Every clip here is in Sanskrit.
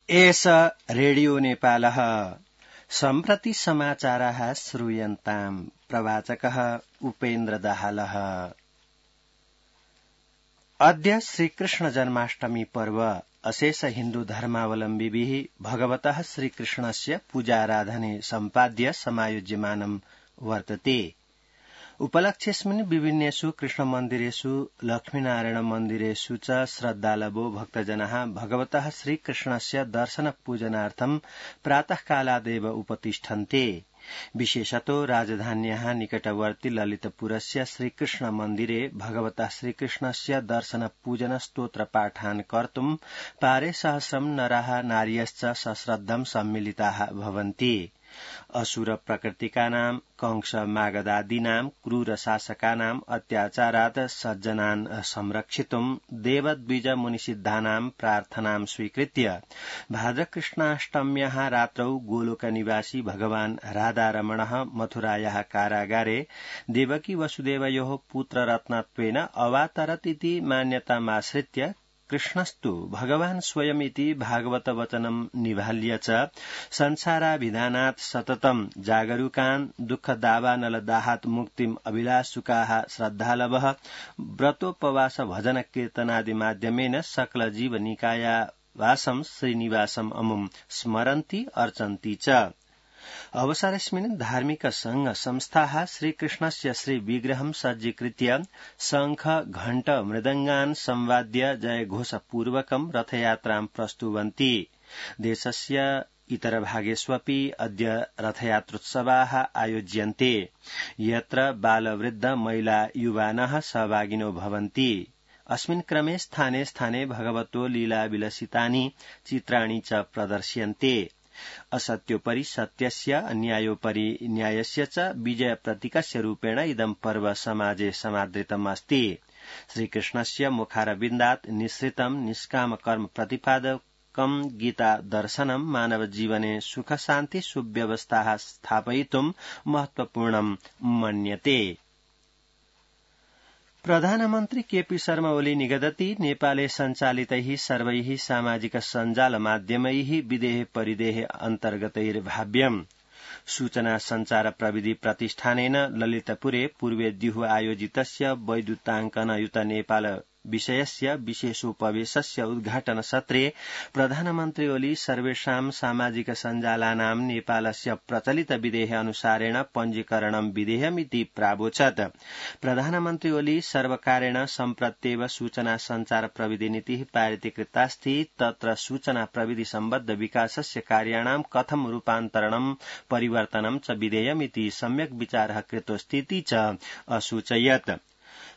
एष रेडियो नेपालः सम्प्रति समाचाराः श्रूयन्ताम् प्रवाचकः उपेन्द्र दाहालः। अद्य श्रीकृष्ण जन्माष्टमी पर्व अशेष हिन्दू धर्मावलम्बिभिः भगवतः श्रीकृष्णस्य पूजाराधने सम्पाद्य समायोज्यमानं वर्तते। उपलक्ष्येऽस्मिन् विभिन्नेषु कृष्णमन्दिरेषु लक्ष्मीनारायण मन्दिरेषु च श्रद्धालवो भक्तजनाः भगवतः श्रीकृष्णस्य दर्शनपूजनार्थं प्रातःकालादेव उपतिष्ठन्ते। विशेषतो राजधान्याः निकटवर्ति ललितपुरस्य श्रीकृष्ण मन्दिरे भगवतः श्रीकृष्णस्य दर्शनपूजन स्तोत्रपाठान् कर्तुं पारे सहस्रं नराः नार्यश्च सश्रद्धं सम्मिलिताः भवन्ति। असुर प्रकृतिकानां कंस मागधादीनां क्रूर शासकानां अत्याचारात् सज्जनान् संरक्षितुं देवद्विज मुनिसिद्धानां प्रार्थनां स्वीकृत्य भाद्रकृष्णाष्टम्याः रात्रौ गोलोकनिवासी भगवान् राधारमणः मथुरायाः कारागारे देवकी वसुदेवयोः पुत्ररत्नत्वेन अवातरत् इति मान्यतामाश्रित्य कृष्णस्तु भगवान् स्वयमिति भागवत वचनं निभाल्य च संसाराभिधानात् सततं जागरूकान् दुःखदावानलदाहात् मुक्तिम् अभिलाषुकाः श्रद्धालवः व्रतोपवास भजन कीर्तनादि माध्यमेन सकल जीवनिकायावासं श्रीनिवासम् अमुम् स्मरन्ति अर्चन्ति च। अवसरेऽस्मिन् धार्मिक संघ संस्थाः श्रीकृष्णस्य श्रीविग्रहं सज्जीकृत्य शंख घण्ट मृदङ्गान् संवाद्य जयघोषपूर्वकं रथयात्रां प्रस्तुवन्ति। देशस्य इतरभागेष्वपि अद्य रथयात्रोत्सवाः आयोज्यन्ते, यत्र बालवृद्ध महिला युवानः सहभागिनो भवन्ति। अस्मिन् क्रमे स्थाने स्थाने भगवतो लीलाविलसितानि चित्राणि च प्रदर्श्यन्ते। असत्योपरि सत्यस्य अन्यायोपरि न्यायस्य च विजय प्रतीकस्य रूपेण इदं पर्व समाजे समादृतम् अस्ति। श्रीकृष्णस्य मुखारविन्दात् निःसृतं निष्काम कर्म प्रतिपादकं गीता दर्शनं मानव जीवने सुख शान्ति सुव्यवस्थाः स्थापयितुं महत्वपूर्णं मन्यते। प्रधानमन्त्री केपी शर्मा ओली निगदति नेपाले सञ्चालितैः सर्वैः सामाजिक सञ्जाल माध्यमैः विदेह परिदेह अन्तर्गतैर्भाव्यम्। सूचना सञ्चार प्रविधि प्रतिष्ठानेन ललितपुरे पूर्वेद्युः आयोजितस्य वैद्युताङ्कनयुत नेपाल विषयस्य विशेषोपवेशस्य उद्घाटन सत्रे प्रधानमन्त्री ओली सर्वेषां सामाजिक सञ्जालानां नेपालस्य प्रचलित विधेय अनुसारेण पञ्जीकरणं विधेयमिति प्रावोचत्। प्रधानमन्त्री ओली सर्वकारेण सम्प्रत्येव सूचना सञ्चार प्रविधि नीतिः पारितीकृतास्ति, तत्र सूचना प्रविधि सम्बद्ध विकासस्य कार्याणां कथं रूपान्तरणं परिवर्तनं च विधेयमिति सम्यक् विचारः कृतोऽस्तीति च असूचयत्।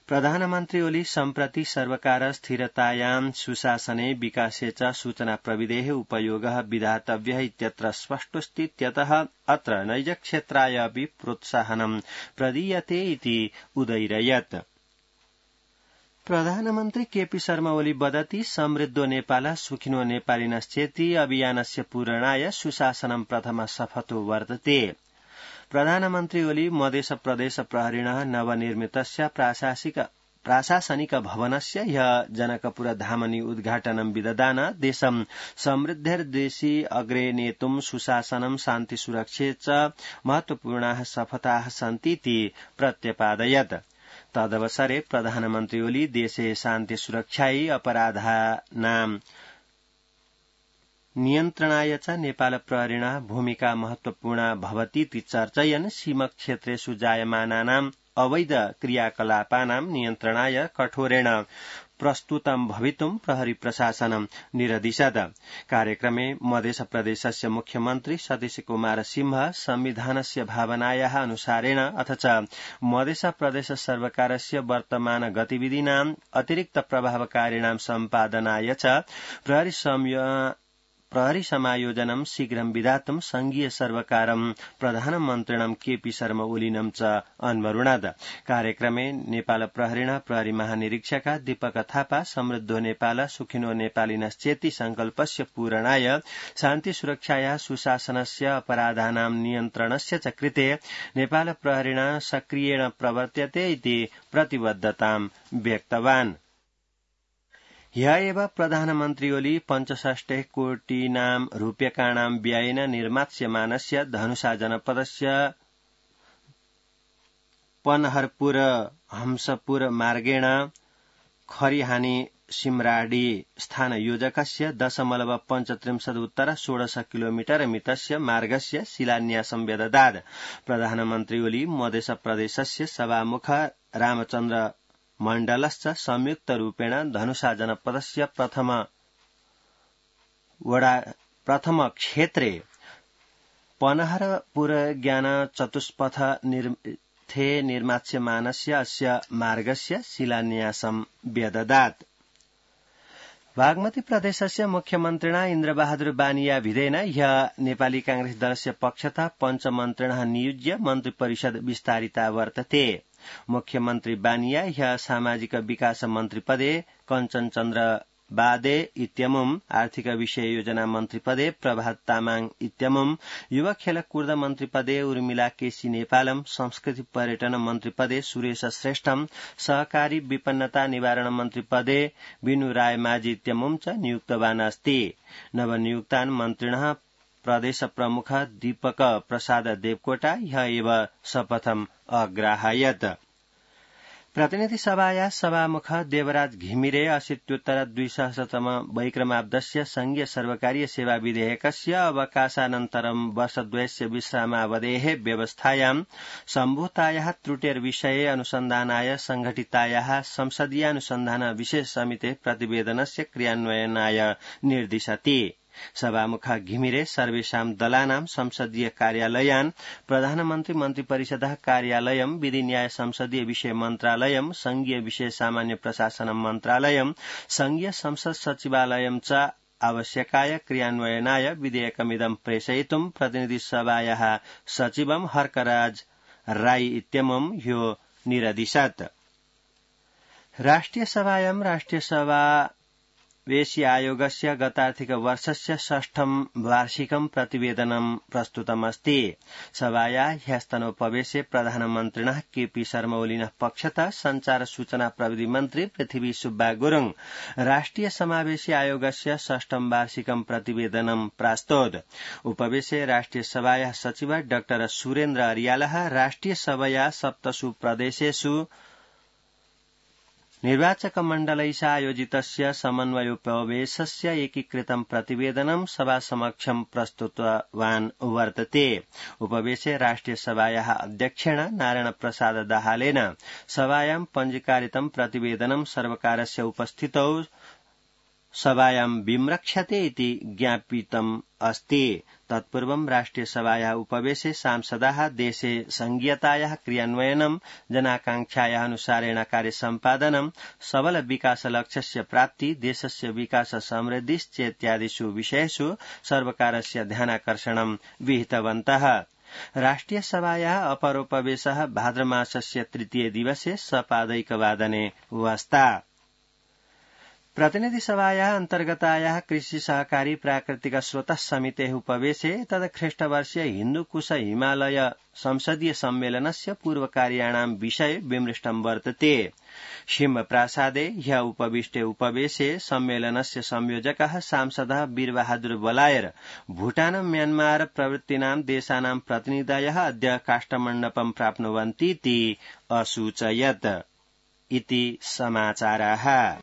प्रधानमन्त्री ओली सम्प्रति सर्वकार स्थिरतायां सुशासने विकासे च सूचना प्रविधेः उपयोगः विधातव्यः इत्यत्र स्पष्टोऽस्तीत्यतः अत्र नैजक्षेत्राय अपि प्रोत्साहनं प्रदीयते इति उदैरयत्। प्रधानमन्त्री केपी शर्मा ओली वदति समृद्धो नेपालः सुखिनो नेपालिनश्चेति अभियानस्य पूरणाय सुशासनं प्रथम शपथो वर्तते। प्रधानमन्त्री ओली मधेश प्रदेश प्रहरिणः नवनिर्मितस्य प्राशासनिक भवनस्य ह्यः जनकपुरधामनि उद्घाटनं विदधान देशं समृद्धिर्देशि अग्रे नेतुं सुशासनं शान्ति सुरक्षे च महत्वपूर्णाः शपथाः सन्तीति प्रत्यपादयत्। तदवसरे प्रधानमन्त्री ओली देशे शान्ति सुरक्षायै अपराधानां नियन्त्रणाय च नेपाल प्रहरिणः भूमिका महत्वपूर्णा भवतीति चर्चयन् सीमक्षेत्रेषु जायमानानां अवैध क्रियाकलापानां नियन्त्रणाय कठोरेण प्रस्तुतं भवितुं प्रहरी प्रशासनं निरदिशत्। कार्यक्रमे मधेश प्रदेशस्य मुख्यमन्त्री सतीश कुमार सिंह संविधानस्य भावनायाः अनुसारेण अथ च मधेश प्रदेश सर्वकारस्य वर्तमान गतिविधीनां अतिरिक्त प्रभावकारिणां सम्पादनाय च प्रहरी समायोजनं शीघ्रं विधातुं संघीय सर्वकारं प्रधानमन्त्रिणं केपी शर्मा ओलिनं च अन्वरुणत्। कार्यक्रमे नेपाल प्रहरिणः प्रहरी महानिरीक्षक दीपक थापा समृद्धो नेपाल सुखिनो नेपालिनश्चेति संकल्पस्य पूरणाय शान्ति सुरक्षायाः सुशासनस्य अपराधानां नियन्त्रणस्य च कृते नेपाल प्रहरिणः सक्रियेण प्रवर्त्यते इति प्रतिबद्धतां व्यक्तवान्। ह्य एव प्रधानमन्त्री ओली 65 कोटिनां रूप्यकाणां व्ययेन निर्मास्यमानस्य धनुषा जनपदस्य पनहरपुर हंसपुर मार्गेण खरिहानी सिमराडी स्थानयोजकस्य 0.35 किलोमीटर मितस्य मार्गस्य शिलान्यासं व्यददात्। प्रधानमन्त्री ओली मध्य प्रदेशस्य सभामुख रामचन्द्र मण्डलश्च संयुक्तरूपेण धनुषा जनपदस्य प्रथम क्षेत्रे पनहरपुर ज्ञान चतुष्पथ निर्मास्यमानस्य अस्य मार्गस्य शिलान्यासं व्यददात्। बागमती प्रदेशस्य मुख्यमन्त्रिणा इन्द्रबहादुर बानिया भिदेन ह्यः नेपाली कांग्रेस दलस्य पक्षतः पञ्चमन्त्रिणः नियुज्य मन्त्रिपरिषद विस्तारिता वर्तते। मुख्यमन्त्री बानिया ह्यः सामाजिक विकास मन्त्रिपदे कञ्चनचन्द्र बादे इत्यमुम् आर्थिक विषय योजना मन्त्रिपदे प्रभात तामाङ इत्यमुम् युवा खेलकुद मन्त्रिपदे उर्मिला केसी नेपालम संस्कृति पर्यटन मन्त्रिपदे सुरेश श्रेष्ठम सहकारी विपन्नता निवारण मन्त्रिपदे विनु राय माझी इत्यमुम् च नियुक्तवान् अस्ति। नवनियुक्तान् मन्त्रिणः प्रदेश प्रमुख दीपक प्रसाद देवकोटा ह्यः एव शपथम् अग्राहयत्। प्रतिनिधि सभाया सभामुख देवराज घिमिरे 80-200तम वैक्रमाब्दस्य संघीय सर्वकारीय सेवा विधेयकस्य अवकाशानन्तरं वर्षद्वयस्य विश्रामावधेः व्यवस्थायां सम्भूतायाः त्रुटिर्विषये अनुसन्धानाय संघटितायाः संसदीयानुसन्धान विशेष समितेः प्रतिवेदनस्य क्रियान्वयनाय निर्दिशति। सभामुख घिमिरे सर्वेषां दलानां संसदीय कार्यालयान् प्रधानमन्त्री मन्त्रिपरिषदः कार्यालयं विधि न्याय संसदीय विषय मन्त्रालयं संघीय विषय सामान्य प्रशासन मन्त्रालयं संघीय संसद सचिवालयं च आवश्यकाय क्रियान्वयनाय विधेयकमिदं प्रेषयितुं प्रतिनिधि सभायाः सचिवं हर्कराज राई इत्यमुम् ह्यो निरदिशत्। राष्ट्रिय सभायां राष्ट्रिय समावेशी आयोगस्य गतार्थिक वर्षस्य 6ठं वार्षिकं प्रतिवेदनं प्रस्तुतमस्ति। सभायाः ह्यस्तनोपवेशे प्रधानमन्त्रिणः केपी शर्मा ओलिनः पक्षतः संचार सूचना प्रविधि मन्त्री पृथ्वी सुब्बा गुरुङ राष्ट्रिय समावेशी आयोगस्य 6ठं वार्षिकं प्रतिवेदनं प्रास्तोत्। उपवेशे राष्ट्रिय सभायाः सचिव डॉ सुरेन्द्र अरियालः राष्ट्रिय सभाया 7 प्रदेशेषु निर्वाचक मण्डलैः आयोजितस्य समन्वयोपवेशस्य एकीकृतं प्रतिवेदनं सभासमक्षं प्रस्तुतवान् वर्तते। उपवेशे राष्ट्रिय सभायाः अध्यक्षेण नारायण प्रसाद दाहालेन सभायां पञ्जीकारितं प्रतिवेदनं सर्वकारस्य उपस्थितौ सभायां विम्रक्ष्यते इति ज्ञापितम् अस्ति। तत्पूर्वं राष्ट्रिय सभायाः उपवेशे सांसदाः देशे संघीयतायाः क्रियान्वयनं जनाकांक्षायाः अनुसारेण कार्य सम्पादनं सबल विकास लक्ष्यस्य प्राप्ति देशस्य विकास समृद्धिश्चेत्यादिषु विषयेषु सर्वकारस्य ध्यानाकर्षणं विहितवन्तः। राष्ट्रिय सभायाः अपरोपवेशः भाद्रमासस्य 3 दिवसे सपादैकवादने वस्ता। प्रतिनिधि सभायाः अन्तर्गतायाः कृषि सहकारी प्राकृतिक स्रोतः समितेः उपवेशे तदख्रीष्टवर्षीय हिन्दुकुश हिमालय संसदीय सम्मेलनस्य पूर्वकार्याणां विषये विमृष्टं वर्तते। शिम्बप्रासादे ह्यः उपविष्टे उपवेशे सम्मेलनस्य संयोजकः सांसदः वीरबहादुर बलायर भूटान म्यान्मार प्रभृतीनां देशानां प्रतिनिधयः अद्य काष्ठमण्डपं प्राप्नुवन्तीति असूचयत्। इति समाचाराः।